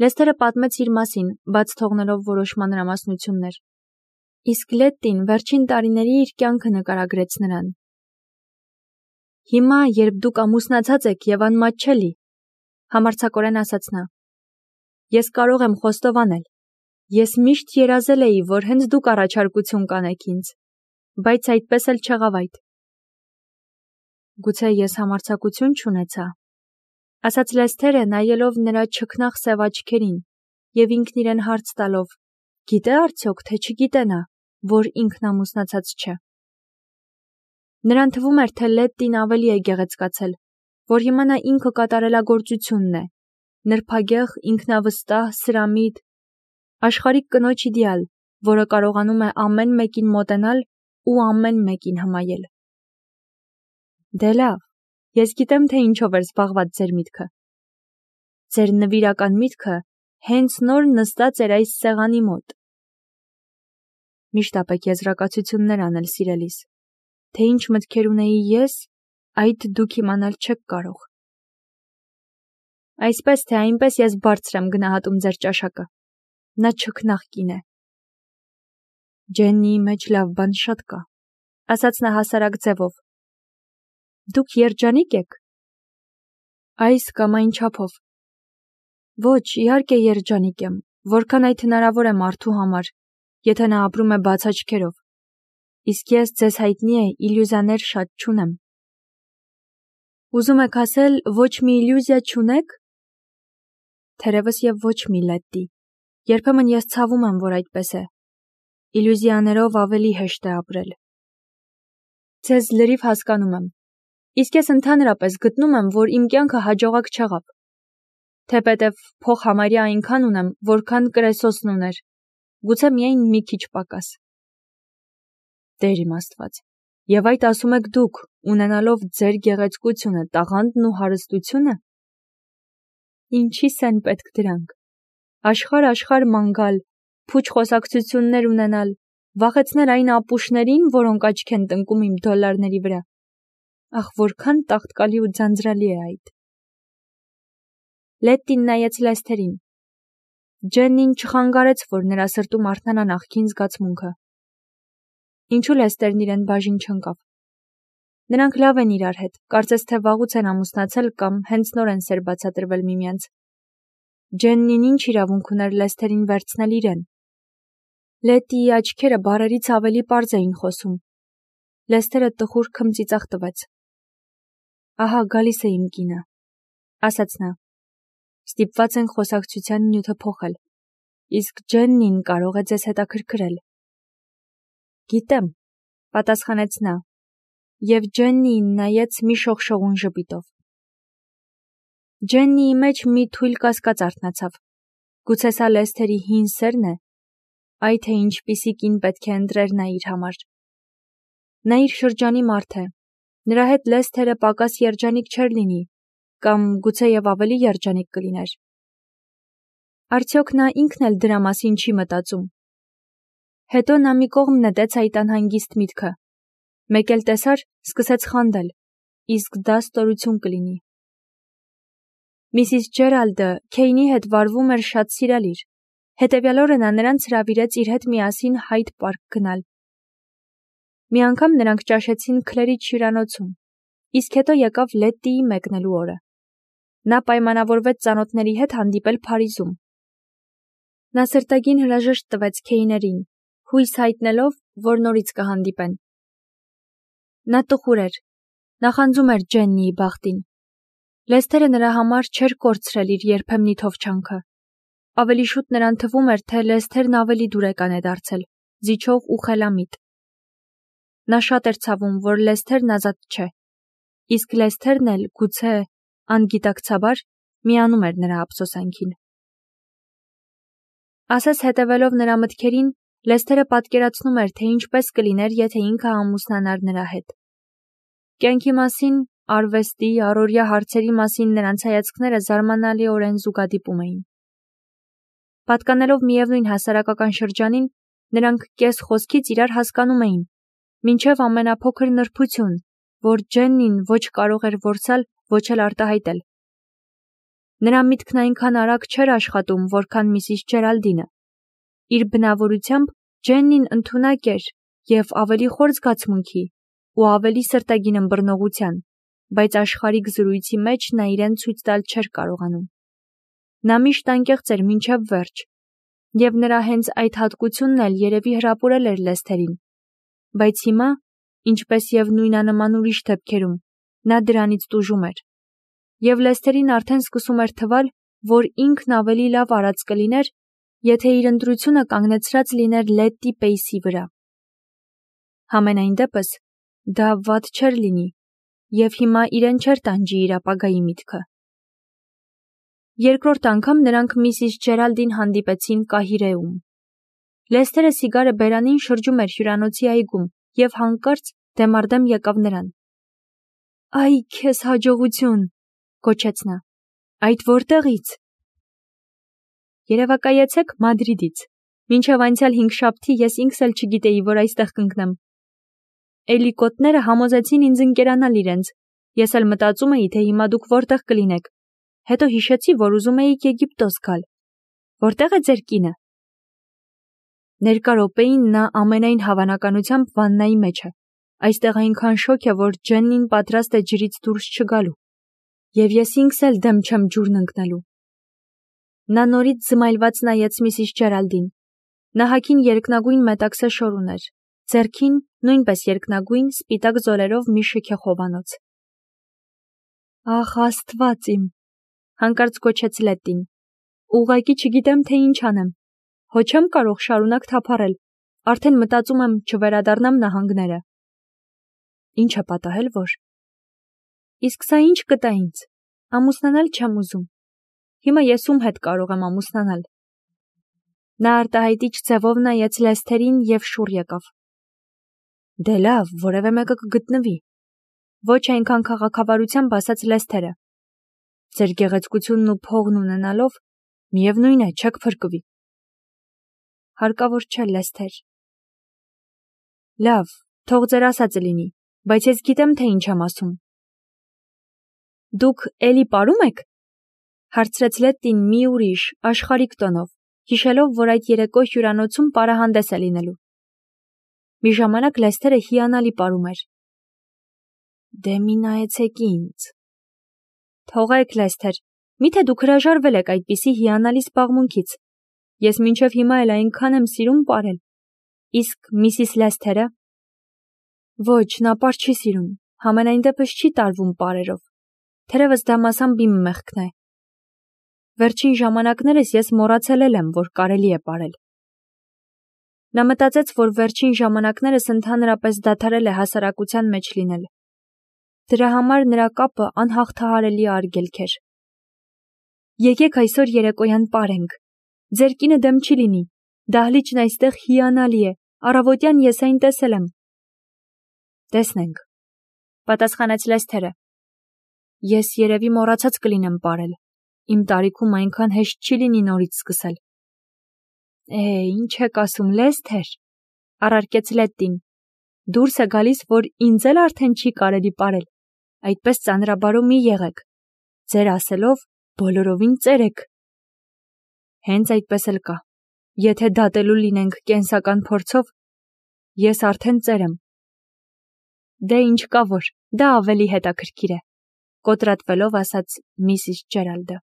Լեսթերը պատմեց իր մասին, բաց թողնելով որոշ մանրամասնություններ։ Իսկ Լետտին վերջին տարիների իր կյանքը նկարագրեց նրան։ Հիմա, երբ դուք ամուսնացած եք եւ անմատչելի, համարձակորեն ասաց նա, ես կարող եմ խոստովանել, ես միշտ երազել էի, որ հենց դուք առաջարկություն կանեք ինձ, բայց այդպես էլ չեղավ այդ։ Գուցե ես համարձակություն չունեցա, ասաց Լեսթերը, նայելով նրա չքնաղ սև աչքերին եւ ինքն իրեն հարց տալով, գիտե արդյոք, թե չգիտե նա, որ ինքն ամուսնացած չէ։ Նրան թվում էր, թե Լետտին ավելի է գեղեցկացել, որ հիմա նա ինքը կատարելագործությունն է, նրբագեղ, ինքնավստահ, սրամիտ, աշխարհիկ կնոջ իդեալ, որը կարողանում է ամեն մեկին մոտենալ ու ամեն մեկին հմայել։ Դե լավ, ես գիտեմ, թե ինչով էր զբաղված ձեր միտքը։ Ձեր նվիրական միտքը հենց նոր նստած էր այս սեղանի մոտ։ Միշտ ապեք եզրակացություններ անել, սիրելիս, թե ինչ մտքեր ունեի ես, այդ դուք իմանալ չեք կարող։ Այսպես թե այնպես ես բարձր եմ գնահատում ձեր ճաշակը։ Նա չքնաղ կին է։ Ջեննիի մեջ լավ բան շատ կա, ասաց նա հասարակ ձևով։ Դուք երջանիկ եք։ Այս կամ այն չափով։ Ոչ, իհարկե երջանիկ եմ, որքան այդ հնարավոր է մարդու համար, եթե նա ապրում է բաց աչքերով։ Իսկ ես ձեզ հայտնի է իլյուզիաներ շատ չունեմ։ Ուզում եք ասել, ոչ մի իլյուզիա չունեք։ Թերևս եւ ոչ մի, Լետտի։ Երբեմն ես ցավում եմ, որ այդպես է։ Իլյուզիաներով ավելի հեշտ է ապրել։ Ձեզ լրիվ հասկանում եմ։ Իսկ ես ընդհանրապես գտնում եմ, որ իմ կյանքը հաջողակ չեղավ։ Թեպետև փող համարյա այնքան ունեմ, որքան կրեսոսն ուներ։ Գուցե միայն մի քիչ պակաս։ Տեր իմ Աստված։ Եվ այդ ասում եք դուք, ունենալով ձեր գեղեցկությունը, տաղանդն ու հարստությունը։ Ինչի՞ս են պետք դրանք։ Աշխարհ ման գալ, փուչ խոսակցություններ ունենալ, վախեցնել այն ապուշներին, որոնք աչք են տնկում իմ դոլարների վրա։ Ախ, որքան տաղտկալի ու ձանձրալի է այդ։ Լետտին նայեց Լեսթերին։ Ջեննին չխանգարեց, որ նրա սրտում արթնանա նախքին զգացմունքը։ Ինչու Լեսթերն իրեն բաժին չընկավ։ Նրանք լավ են իրար հետ, կարծես թե վաղուց են ամուսնացել կամ հենց նոր են սեր բացատրվել միմյանց։ Ջեննին ինչ իրավունք ուներ Լեսթերին վերցնել իրեն։ Լետտիի աչքերը բառերից ավելի պարզ էին խոսում։ Լեսթերը տխուր քմծիծաղ տվեց։ Ահա գալիս է իմ կինը, ասաց նա։ Ստիպված ենք խոսակցության նյութը փոխել, իսկ Ջեննին կարող է ձեզ հետաքրքրել։ Գիտեմ, պատասխանեց նա, եւ Ջեննիին նայեց մի շողշողուն ժպիտով։ Ջեննիի մեջ մի թույլ կասկած արթնացավ։ Գուցե սա Լեսթերի հին սերն է, այ թե ինչպիսի կին պետք է ընտրեր նա իր համար։ Նա իր շրջանի մարդ է, նրա հետ Լեսթերը պակաս երջանիկ չէր լինի, կամ գուցե եւ ավելի երջանիկ կլիներ։ Արդյոք նա ինքն էլ դրա մասին չի մտածում։ Հետո նա մի կողմ նետեց այդ անհանգիստ միտքը։ Մեկ էլ տեսար, սկսեց խանդել, իսկ դա ստորություն կլինի։ Միսիս Ջերալդը Քեյնի հետ վարվում էր շատ սիրալիր, հետևյալ օրը նա նրանց հրավիրեց իր հետ միասին Հայդ պարկ գնալ։ Մի անգամ նրանք ճաշեցին Քլերիջ հյուրանոցում, իսկ հետո եկավ Լետտիի մեկնելու օրը։ Նա պայմանավորվեց ծանոթների հետ հանդիպել Փարիզում։ Նա սրտագին հրաժեշտ տվեց Քեյներին, հույս հայտնելով, որ նորից կհանդիպեն։ Նա տխուր էր, նախանձում էր Ջեննիի բախտին։ Լեսթերը նրա համար չէր կորցրել իր երբեմնի թովչանքը։ Ավելի շուտ նրան թվում էր, թե Լեսթերն ավելի դուրեկան է դարձել, զիջող ու խելամիտ։ Նա շատ էր ցավում, որ Լեսթերն ազատ չէ, իսկ Լեսթերն էլ գուցե անգիտակցաբար միանում էր նրա ափսոսանքին։ Ասես հետևելով նրա մտքերին, Լեսթերը պատկերացնում էր, թե ինչպես կլիներ, եթե ինքը ամուսնանար նրա հետ։ Կյանքի մասին, արվեստի, առօրյա հարցերի մասին նրանց հայացքները զարմանալիորեն զուգադիպում էին։ Պատկանելով միևնույն հասարակական շրջանին, նրանք կես խոսքից իրար հասկանում էին, մինչև ամենափոքր նրբություն, որ Ջեննին ոչ կարող էր որսալ, ոչ էլ արտահայտել։ Նրա միտքն այնքան արագ չէր աշխատում, որքան Միսիս Ջերալդինը։ Իր բնավորությամբ Ջեննին ընդունակ էր և ավելի խոր զգացմունքի ու ավելի սրտագին ըմբռնողության, բայց աշխարհիկ զրույցի մեջ նա իրեն ցույց տալ չէր կարողանում։ Նա միշտ անկեղծ էր մինչև վերջ, և նրա հենց այդ հատկությունն էլ երևի հրապուրել էր Լեսթերին, բայց հիմա, ինչպես և նույնանման ուրիշ դեպքերում, նա դրանից տուժում էր, և Լեսթերին արդեն սկսում էր թվալ, որ ինքն ավելի լավ արած կլիներ, եթե իր ընտրությունը կանգնեցրած լիներ Լետտի Պեյսի վրա։ Համենայն դեպս, դա վատ չէր լինի, և հիմա իրեն չէր տանջի իր ապագայի միտքը։ Երկրորդ անգամ նրանք Միսիս Ջերալդին հանդիպեցին Կահիրեում։ Լեսթերը սիգարը բերանին շրջում էր հյուրանոցի այգում և հանկարծ դեմառդեմ եկավ նրան։ «Այ քեզ հաջողություն», գոչեց նա, «այդ որտեղի՞ց»։ Երևակայեցեք Մադրիդից։ Մինչև անցյալ հինգշաբթի ես ինքս էլ չգիտեի, որ այստեղ կընկնեմ։ Էլիկոտները համոզեցին ինձ ընկերանալ իրենց։ Ես էլ մտածում էի, թե հիմա դուք որտեղ կլինեք։ Հետո հիշեցի, որ ուզում էիք Եգիպտոս գալ։ Որտեղ է ձեր կինը։ Ներկա րոպեին նա ամենայն հավանականությամբ վաննայի մեջ է։ Այստեղ այնքան շոգ է, որ Ջեննին պատրաստ է ջրից դուրս չգալու։ Եվ ես ինքս էլ դեմ չեմ ջուրն ընկնելու։ Նա նորից զմայլված նայեց Միսիս Ջերալդին։ Նահաքին երկնագույն մետաքսե շոր ուներ, ձեռքին նույնպես երկնագույն սպիտակ զոլերով մի շքեխովանոց։ Ախ, Աստված իմ, հանկարծ գոչեց Լետտին։ Ուղղակի չգիտեմ, թե ինչ անեմ։ Հո չեմ կարող շարունակ թափառել, արդեն մտածում եմ չվերադառնամ նահանգները։ Ինչ է պատահել, որ։ Իսկ սա ինչ կտա ինձ։ Ամուսնանալ չեմ ուզում։ Հիմա ես ում հետ կարող եմ ամուսնանալ։ Նա արտահայտիչ ձևով նայեց Լեսթերին և շուռ եկավ։ Դե լավ, որևէ մեկը կգտնվի։ Ոչ այնքան քաղաքավարությամբ ասաց Լեսթերը։ Ձեր գեղեցկությունն ու փողն ունենալով, միևնույն է, չեք փրկվի։ Հարկավոր չէ, Լեսթեր։ Լավ, թող ձեր ասածը լինի, բայց ես գիտեմ, թե ինչ եմ ասում։ Դուք էլի պարում եք։ Հարցրեց Լետտին մի ուրիշ, աշխարհիկ տոնով, հիշելով, որ այդ երեկո հյուրանոցում պարահանդես է լինելու։ Մի ժամանակ Լեսթերը հիանալի պարում էր։ Դե մի նայեցեք ինձ։ Թողեք, Լեսթեր, միթե դուք հրաժարվել եք այդպիսի հիանալի զբաղմունքից։ Ես մինչև հիմա էլ այնքան եմ սիրում պարել։ Իսկ Միսիս Լեսթերը։ Ոչ, նա պար չի սիրում, համենայն դեպս չի տարվում պարերով։ Թերևս դա մասամբ իմ մեղքն է։ Վերջին ժամանակներս ես մոռացել եմ, որ կարելի է պարել։ Նա մտածեց, որ վերջին ժամանակներս ընդհանրապես դադարել է հասարակության մեջ լինել։ Դրա համար նրա կապը անհաղթահարելի արգելք էր։ Եկեք այսօր երեկոյան պարենք։ Ձեր կինը դեմ չի լինի։ Դահլիճն այստեղ հիանալի է։ Առավոտյան ես այն տեսել եմ։ Տեսնենք, պատասխանեց Լեսթերը։ Ես երևի մոռացած կլինեմ պարել։ Իմ տարիքում այնքան հեշտ չի լինի նորից սկսել։ Ինչ եք ասում, Լեսթեր, առարկեց Լետտին։ Դուրս է գալիս, որ ինձ էլ արդեն չի կարելի պարել։ Այդպես ծանրաբարո մի եղեք։ Ձեր ասելով բոլորովին ծեր եք։ Հենց այդպես էլ կա։ Եթե դատելու լինենք կենսական փորձով, ես արդեն ծեր եմ։ Դե ինչ կա որ, դա ավելի հետաքրքիր է, կոտրատվելով ասաց Միսիս Ջերալդը։